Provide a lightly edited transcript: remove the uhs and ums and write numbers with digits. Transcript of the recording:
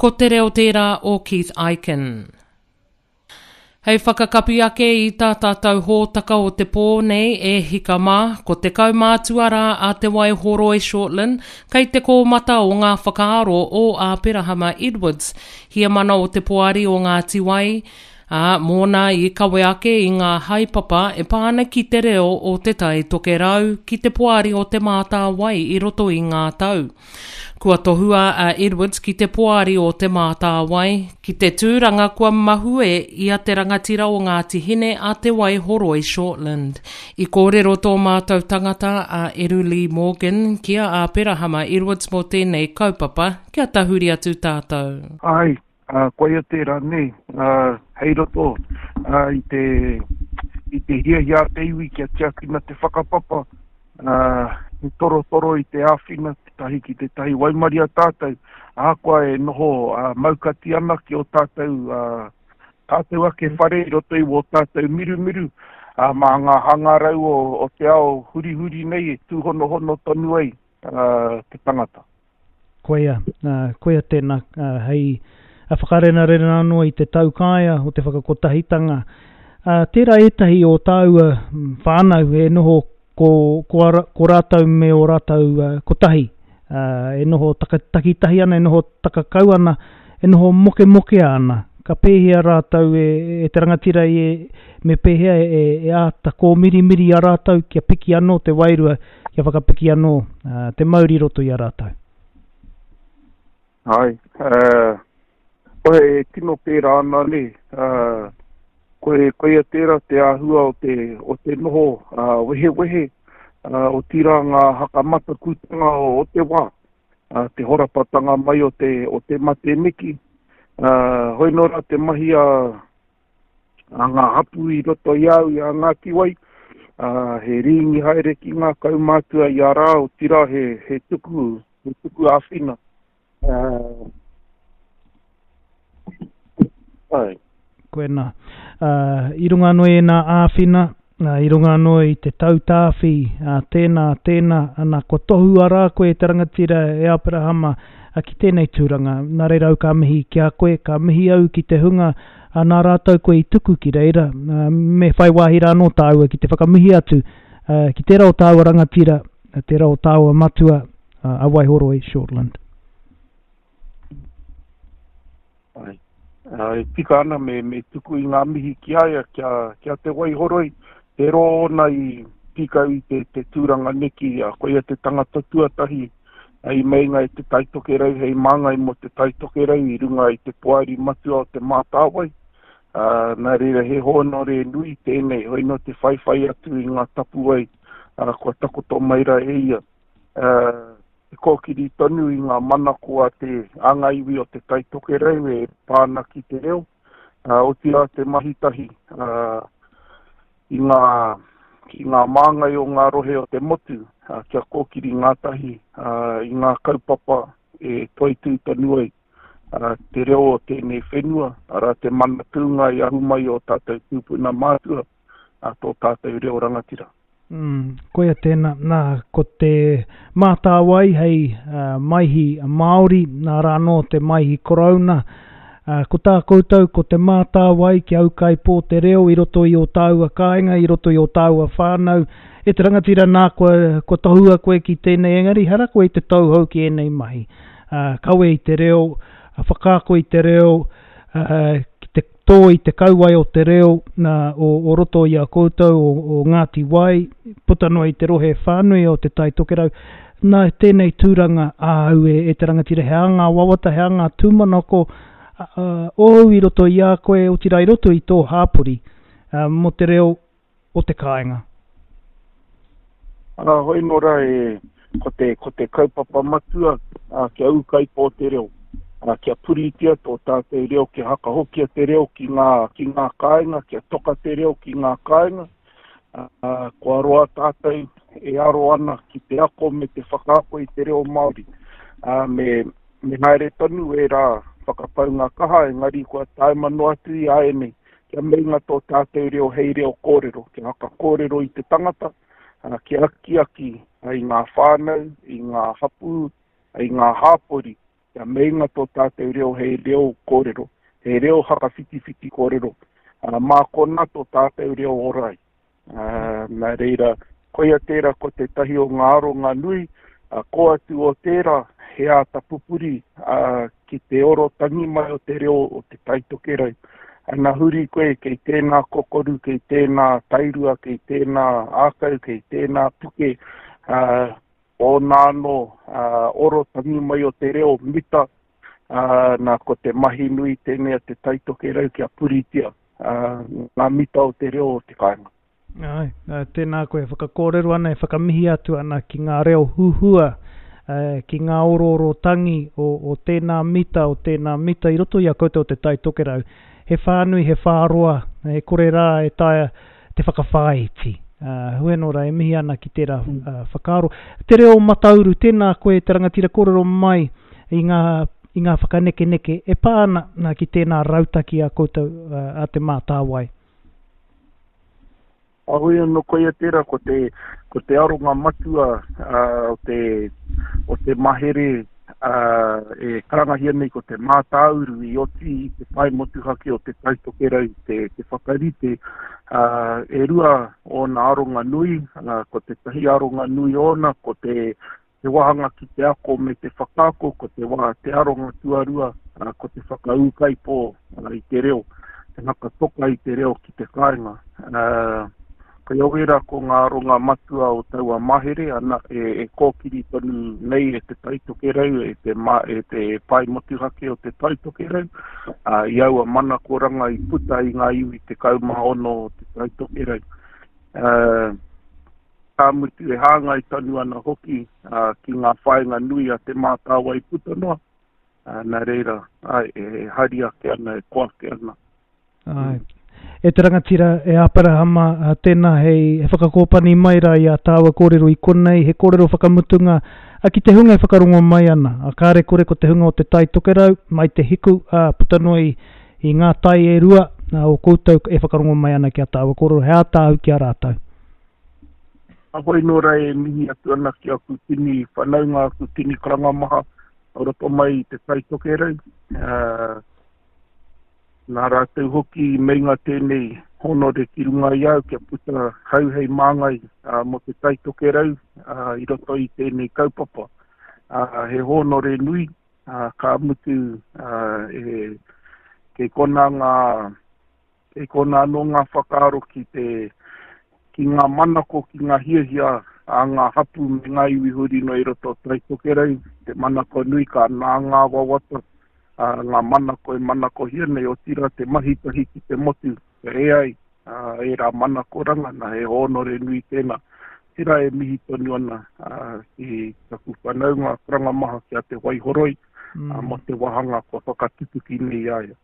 Ko te reo tērā o Keith Ikin. Hei whakakapi ake i tā tātou hōtaka o te pō nei e hika mā, ko te kaumātua rā a Te Waihoroi Shortland kei te kōmata o ngā whakaaro o Āperahama Edwards, heamana o te Poari o Ngāti Wai, ā, mōna i kawe ake i ngā haepapa e pā ana ki te reo o Te Tai Tokerau ki te Poari o Te Mātāwai i roto i ngā tau. Kua tohua a Edwards ki te Poari o Te Mātāwai, ki te tūranga kua mahue i a te rangatira o Ngāti Hine a Te Waihoroi Shortland. I kōrero tō mātou tangata a Eru Lee Morgan ki a Āperahama Edwards mō tēnei kaupapa, kia tahuri atu tātou. Āe, koia tērā nē, hei roto i te, i te hiahia a te iwi kia tiakina te whakapapa, he torotoro i te āwhina tētahi ki tētahi waimaria tātou, ahakoa e noho maukati ana ki ō tātou, tātou ake whare i roto i wō tātou mirumiru, ā, mā ngā hangarau o, o te ao hurihuri nei e tūhonohono tonu ai te tangata. Koia, koia tēnā, hei whakarenarena anō i te taukaea o te whakakotahitanga. Tērā ētahi o tāua whānau e noho ko, ko, ko rātou me ō rātou kotahi, e noho takitahi ana, e noho takakau ana, e noho mokemokea ana. Ka pēhea rātou e, e te rangatira i e, me pēhea e, e āta kōmirimiri i a rātou kia piki anō te wairua kia whakapiki anō te mauri i roto i a rātou. Āe, koe e tino pērā ana nē, koe, koia tērā te āhua o te, o te noho wehewehe, otirā ngā hakamatakutanga o, o te wā, te horapatanga mai o te, o te mate miki, hoi nō rā te mahi a, a ngā hapū i roto i a au, i a Ngāti Wai, ā, he rīngi haere ki ngā kaumātua i a rā, otirā he, he tuku, he tuku āwhina. Ā, āe. Koinā. Ā, i runga anō i ēnā āwhina, Nā, i runga anō i te tautāwhi a tēnā, tēnā, ana, kua tohua rā koe e te rangatira e Aperahama ki tēnei tūranga. Nā reira au ka mihi ki a koe, ka mihi au ki te hunga nā rātou koe i tuku ki reira, me whai wāhi rā anō tāua ki te whakamihi atu ki tērā o tāua rangatira, tērā o tāua matua a Waihoroi Shortland. Āe. E tika ana me, me tuku i ngā mihi ki a ia, ki a, ki a Te Waihoroi, te roa ōna i pīkau i te, te tūranga neki, a, koia te tangata tuatahi i meinga e Te Tai Tokerau hei māngai mō Te Tai Tokerau i runga i te poari matua o Te Mātāwai. Ā, nā reira he hōnore nui tēnei, hoi nō te whaiwhai atu i ngā tapuwae, ā, kua takoto mai rā e ia. Ā, te kōkiri tonu i ngā manako a te, a ngā iwi o Te Tai Tokerau e pā ana ki te reo, ā, otirā te mahi tahi, ā, i ngā, ki ngā māngai o ngā rohe o te motu, ā, kia kōkiri ngātahi, ā, i ngā kaupapa e toitū tonu ai, ā, te reo o tēnei whenua, arā, te mana tūnga i ahu mai o tātou tūpuna mātua, ā, tō tātou reo rangatira. Mm, koia tēnā, nā, ko te Mātāwai hei uh, maihi Māori, nā rā anō te maihi Korouna. Uh, ko tā koutou, ko te Mātāwai kia ūkaipō te reo i roto i ō tāua kāinga, i roto i ō tāua whānau. E te rangatira nā, kua, kua tohua koe ki tēnei, engari hara koe i te tauhou ki ēnei mahi. Uh, kawe i te reo, whakaako i te reo, uh, ki te tō i te kauae o te reo nā, o, o roto i a koutou, o, o Ngāti Wai, puta noa i te rohe whānui o Te Tai Tokerau. Nā tēnei tūranga āu e, e te rangatira, he aha ngā wawata, he aha ngā tūmanako ōu i roto i a koe, otirā i roto i tō hāpori, mō te reo o te kāinga. Arā, hoi nō rā e, ko te, ko te kaupapa matua, ā, kia ūkaipō te reo, ā, kia puritia tō tātou reo, kia hakahokia te reo ki ngā, ki ngā kāinga, kia toka te reo ki ngā kāinga, ā, kua roa tātou e aro ana ki te ako me te whakaako i te reo Māori, ā, me, me haere tonu ērā whakapaunga kaha, engari kua taema noa atu i āianei, Kia meinga tō tātou reo hei reo kōrero, kia whakakōrero i te tangata, kia akiaki i ngā whānau, i ngā hapū, i ngā hāpori. Kia meinga tō tātou reo hei reo kōrero, hei reo whakawhitiwhiti kōrero, ā, mā konā tō tātou reo ora ai. Ā, nā reira, koia tērā ko tētahi o ngā aronga nui, ā, kō atu o tērā, he āta pupuri, ā, ki te oro tangi mai o te reo o Te Tai Tokerau. Ana huri koe kei tēnā kokoru, kei tēnā tairua, kei tēnā ākau, kei tēnā puke, ā, ōna anō oro tangi mai o te reo mita, ā, nā, ko te mahi nui tēnei a Te Tai Tokerau kia puritia ngā mita o te reo o te kāinga. Āe, tēnā koe e whakakōrero ana, e whakamihi atu ana ki ngā reo huhua, ki ngā orooro tangi o, o tēnā mita, o tēnā mita i roto i a koutou o Te Tai Tokerau. He whānui, he whāroa, e kore rā e taea te whakawhāiti. Hoi anō rā, e mihi ana ki tērā whakaaro. Te reo matauru, tēnā koe te rangatira kōrero mai i ngā, i ngā whakanekeneke e pā ana ki tēnā rautaki a koutou a Te Mātāwai. Heoi anō, koia tērā ko te, ko te aronga matua o te, o te mahere e karangahia nei ko te mātāuru i oti i te pae motuhake o Te Tai Tokerau te, te whakarite. E rua ōna aronga nui, ko tētahi aronga nui ōna ko te, te wāhanga ki te ako me te whakaako, ko te wā, te aronga tuarua, ko te whakaūkaipō i te reo, te whakatoka i te reo ki te kāinga. Koia wērā ko ngā aronga matua o taua mahere, ana, e, e kōkiri tonu nei e Te Tai Tokerau, e te, ma, e te pae motuhake o Te Tai Tokerau, ā, i aua manakoranga i puta i ngā iwi 16 o Te Tai Tokerau. Ā, ka mutu e hāngai tonu ana hoki ā, ki ngā whāinga nui a Te Mātāwai puta noa, ā, nā reira, āe, e hari ake ana, e koa ake ana. Āe. E te rangatira, e Aperahama, tēnā hei whakakōpani mai rā i ā tāua kōrero i konei, he kōrero whakamutunga ki te hunga e whakarongo mai ana. Kāre kore ko te hunga o Te Tai Tokerau, mai te hiku, ā, puta noa i, i ngā tai e rua o koutou e whakarongo mai ana ki ā tāua kōrero, he ātahu ki a rātou. Heoi nō rā e mihi atu ana ki aku tini whanaunga, aku tini karanga maha o roto mai i Te Tai Tokerau. Ā, Nā rātou hoki i meinga tēnei hōnore ki runga i a au kia puta hau hei māngai mō Te Tai Tokerau i roto i tēnei kaupapa. He hōnore nui, ka mutu kei konā ngā, kei konā anō ngā whakaaro ki te, ki ngā manako, ki ngā hiahia a ngā hapū me ngā iwi huri noa i roto o Tai Tokerau, te manako nui ka nā ngā wawata ā, ngā manako e manakohia nei, otirā te mahi tahi ki te motu, kia ea ai ērā manakoranga, nā, he hōnore nui tēnā. Otirā e mihi tonu ana ki taku whanaunga karanga maha ki a Te Waihoroi mō te wāhanga kua whakatutuki nei i a ia.